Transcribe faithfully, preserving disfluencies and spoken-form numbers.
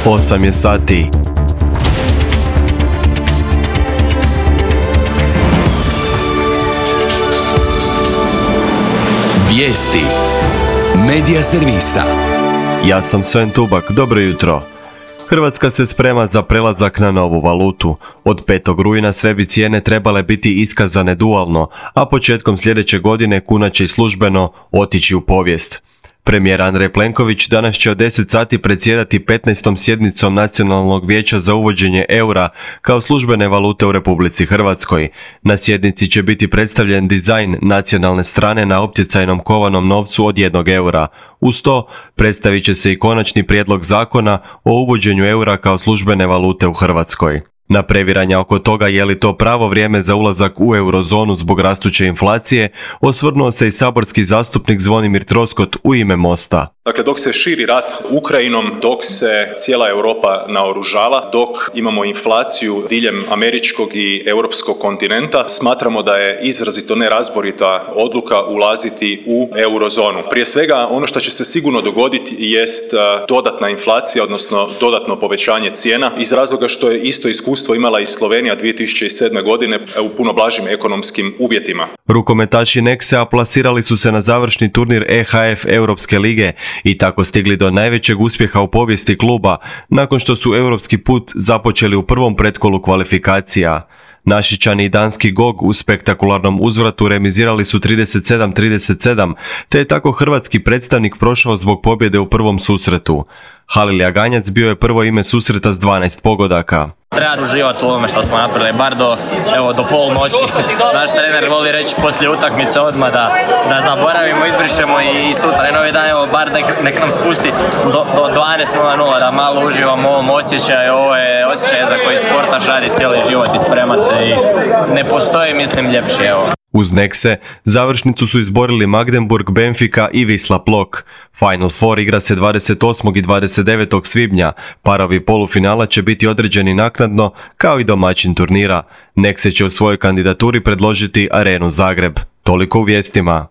osam je sati. Vijesti Medija servisa. Ja sam Sven Tubak, dobro jutro. Hrvatska se sprema za prelazak na novu valutu. Od petog rujna sve bi cijene trebale biti iskazane dualno, a početkom sljedeće godine kuna će i službeno otići u povijest. Premijer Andrej Plenković danas će od deset sati predsjedati petnaestom sjednicom Nacionalnog vijeća za uvođenje eura kao službene valute u Republici Hrvatskoj. Na sjednici će biti predstavljen dizajn nacionalne strane na optjecajnom kovanom novcu od jednog eura. Uz to predstavit će se i konačni prijedlog zakona o uvođenju eura kao službene valute u Hrvatskoj. Na previranja oko toga je li to pravo vrijeme za ulazak u eurozonu zbog rastuće inflacije, osvrnuo se i saborski zastupnik Zvonimir Troskot u ime Mosta. Dakle, dok se širi rat Ukrajinom, dok se cijela Europa naoružava, dok imamo inflaciju diljem američkog i europskog kontinenta, smatramo da je izrazito nerazborita odluka ulaziti u eurozonu. Prije svega, ono što će se sigurno dogoditi jest dodatna inflacija, odnosno dodatno povećanje cijena, iz razloga što je isto iskustvo imala i Slovenija dvije tisuće sedme. godine u puno blažim ekonomskim uvjetima. Rukometaši Nexe plasirali su se na završni turnir E H F Europske lige i tako stigli do najvećeg uspjeha u povijesti kluba nakon što su europski put započeli u prvom pretkolu kvalifikacija. Našičani i danski G O G u spektakularnom uzvratu remizirali su trideset sedam trideset sedam, te je tako hrvatski predstavnik prošao zbog pobjede u prvom susretu. Halil Jaganjac bio je prvo ime susreta s dvanaest pogodaka. Treba uživati u ovome što smo napravili, bar do, evo, do pol noći. Naš trener voli reći poslije utakmice odmah da, da zaboravimo, izbrišemo i, i sutra novi dan, evo, bar nek, nek nam spusti do, do dvanaest nula nula, da malo uživamo u ovom osjećaju. Ovo je osjećaj za koji sportaš radi cijeli život i sprema se i ne postoji, mislim, ljepši, evo. Uz Nexe, završnicu su izborili Magdeburg, Benfica i Wisla Plock. Final Four igra se dvadeset osmog i dvadeset devetog svibnja. Parovi polufinala će biti određeni naknadno, kao i domaćin turnira. Nexe će u svojoj kandidaturi predložiti Arenu Zagreb. Toliko u vijestima.